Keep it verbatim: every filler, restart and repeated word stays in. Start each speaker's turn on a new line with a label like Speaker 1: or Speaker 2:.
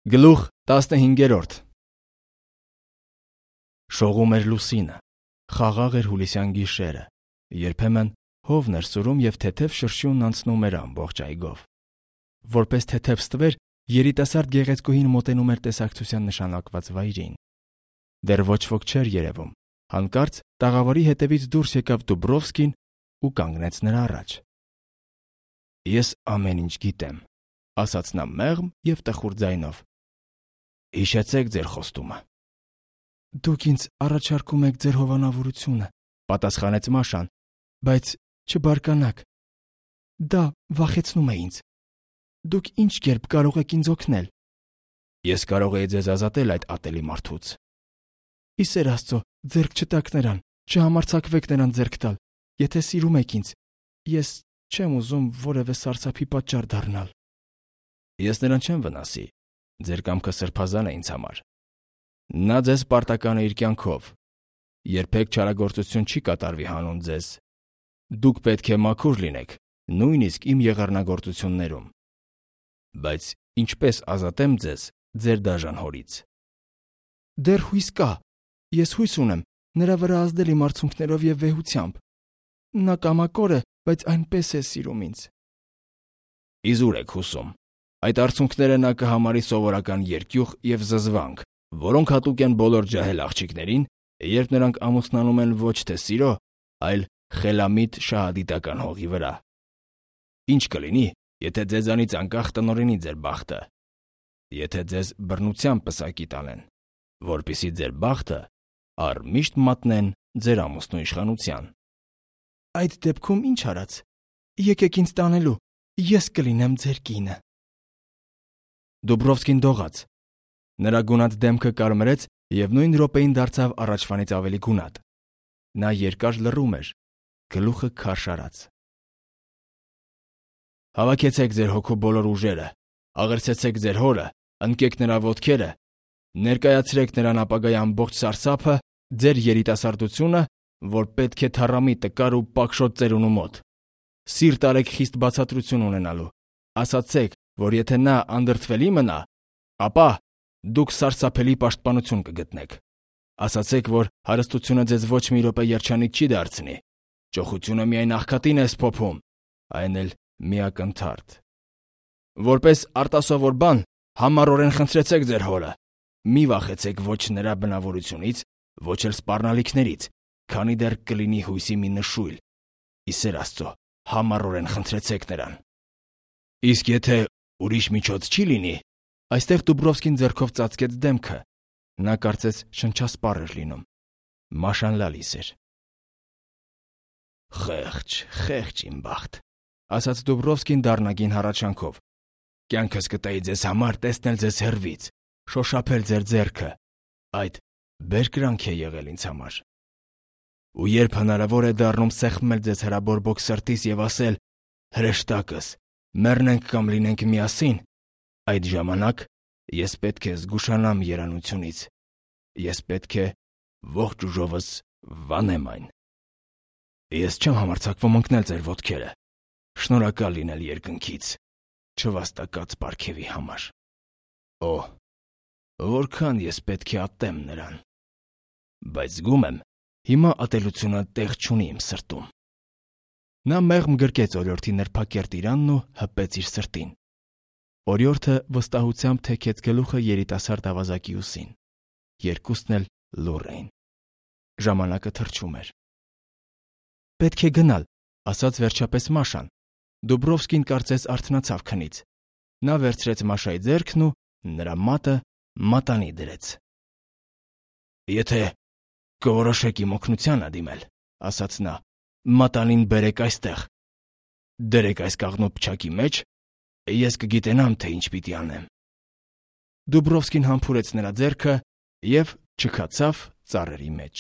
Speaker 1: Գլուխ տասնհինգերորդ Շողում էր լուսինը, խաղաղ էր հուլիսյան գիշերը, երբեմն հովն էր սուրում և թեթև շրշյունն անցնում էր ամբողջ այգով։ Որպես թեթև ստվեր, երիտասարդ գեղեցկուհին մոտենում էր տեսակցության նշանակված վայրին։ Դեռ ոչ ոք չէր երևում, հանկարծ տաղավարի հետևից դուրս եկավ Դուբրովսկին ու կանգնեց նրա առաջ։ «Ես ամեն ինչ գիտեմ», ասաց նա մեղմ և տխուր ձայնով։ «Հիշեցեք ձեր խոստումը»։ «Դուք ինձ առաջարկում եք ձեր հովանավորությունը», պատասխանեց Մաշան, «բայց չբարկանաք։ Դա վախեցնում է ինձ։ Դուք ինչ կերպ կարող եք ինձ օգնել»։ «Ես կարող էի ձեզ ազատել այդ ատելի մարդուց»։ «Ի սեր Աստծո, ձեռք չտաք նրան, չհամարձակվեք նրան ձեռք տալ։ Եթե սիրում եք ինձ, ես չեմ ուզում որևէ սարսափի պատճառ դառնալ»։ «Ես նրան չեմ վնասի, ձեր կամքը սրբազան է ինձ համար։ Նա ձեզ պարտական է իր կյանքով։ Երբեք չարագործություն չի կատարվի հանուն ձեզ։ Դուք պետք է մաքուր լինեք, նույնիսկ իմ եղեռնագործություններում։ Բայց ինչպես ազատեմ ձեզ ձեր դաժան հորից»։ «Դեռ հույս կա։ Ես հույս ունեմ նրա վրա ազդել իմ արցունքներով և վեհությամբ։ Նա կամակոր է, բայց այնպես է սիրում ինձ»։ «Իզուր եք հուսում։ Այդ արցունքները նա կհամարի սովորական երկյուղ և զզվանք, որոնք հատուկ են բոլոր ջահել աղջիկներին, երբ նրանք ամուսնանում են ոչ թե սիրո, այլ խելամիտ շահադիտական հողի վրա։ Ինչ կլինի, եթե ձեզանից անկախ տնօրինի ձեր բախտը, եթե ձեզ բռնությամբ պսակի տանեն, որպեսզի ձեր բախտը առմիշտ մատնեն ձեր ամուսնու իշխանության»։ «Այդ դեպքում ինչ արած։ Եկեք ինձ տանելու, ես կլինեմ ձեր կինը»։ Դուբրովսկին դողաց։ Նրա գունատ դեմքը կարմրեց և նույն րոպեին դարձավ առաջվանից ավելի գունատ։ Նա երկար լռում էր, գլուխը քարշ արած։ «Հավաքեցեք ձեր հոգու բոլոր ուժերը, աղերսեցեք ձեր հորը, ընկեք նրա ոտքերը, ներկայացրեք նրան ապագայի ամբողջ սարսափը, ձեր երիտասարդությունը, որ պետք է թառամի տկար ու պակշոտ ծերունու մոտ։ Սիրտ արեք խիստ բացատրություն ունենալու։ Ասացեք, որ եթե նա անդրդվելի մնա, ապա դուք սարսափելի պաշտպանություն կգտնեք։ Ասացեք, որ հարստությունը ձեզ ոչ մի րոպե երջանիկ չի դարձնի։ Ճոխությունը միայն աղքատին է սփոփում, այն էլ միակնթարթ։ Որպես արտասովոր բան համառորեն խնդրեցեք ձեր հորը։ Մի վախեցեք ոչ նրա բնավորությունից, ոչ էլ սպառնալիքներից, քանի դեռ կլինի հույսի մի նշույլ։ Ի սեր Աստծո, համառորեն խնդրեցեք նրան։ Իսկ եթե ուրիշ միջոց չի լինի…» Այստեղ Դուբրովսկին ձեռքով ծածկեց դեմքը։ Նա կարծես շնչասպառ էր լինում։ Մաշան լալիս էր։ «Խեղճ, խեղճ իմ բախտ», ասաց Դուբրովսկին դառնագին հառաչանքով։ «Կյանքս կտայի ձեզ համար տեսնել ձեզ հեռվից, շոշափել ձեր ձեռքը։ Այդ բերկրանք է եղել ինձ համար։ Ու երբ հնարավոր է դառնում սեղմել ձեզ հրաբորբոք սրտիս և ասել. հրեշտակս, մեռնենք կամ լինենք միասին, այդ ժամանակ ես պետք է զգուշանամ երանությունից, ես պետք է ողջ ուժովս վանեմ այն։ Ես չեմ համարձակվում ընկնել ձեր ոտքերը, շնորհակալ լինել երկնքից չվաստակած պարգևի համար։ Օ, որքան ես պետք է ատեմ նրան։ Բայց զգում եմ, հիմա ատելությունը տեղ չունի իմ սրտում»։ Նա մեղմ գրկեց օրիորդի նրբակերտ իրանն ու հպեց իր սրտին։ Օրիորդը վստահությամբ թեքեց գլուխը երիտասարդ ավազակի ուսին։ Երկուսն էլ լուռ էին։ Ժամանակը թռչում էր։ «Պետք է գնալ», ասաց վերջապես Մաշան։ Դուբրովսկին կարծես արթնացավ քնից։ Նա վերցրեց Մաշայի ձեռքն ու նրա մատը մատանի դրեց։ «Եթե կորոշեք իմ օգնությանը դիմել», ասաց նա, «մատանին բերեք այստեղ։ Դրեք այս կաղնու փչակի մեջ, ես կգիտենամ, թե ինչ պիտի անեմ»։ Դուբրովսկին համբուրեց նրա ձեռքը և չքացավ ծառերի մեջ։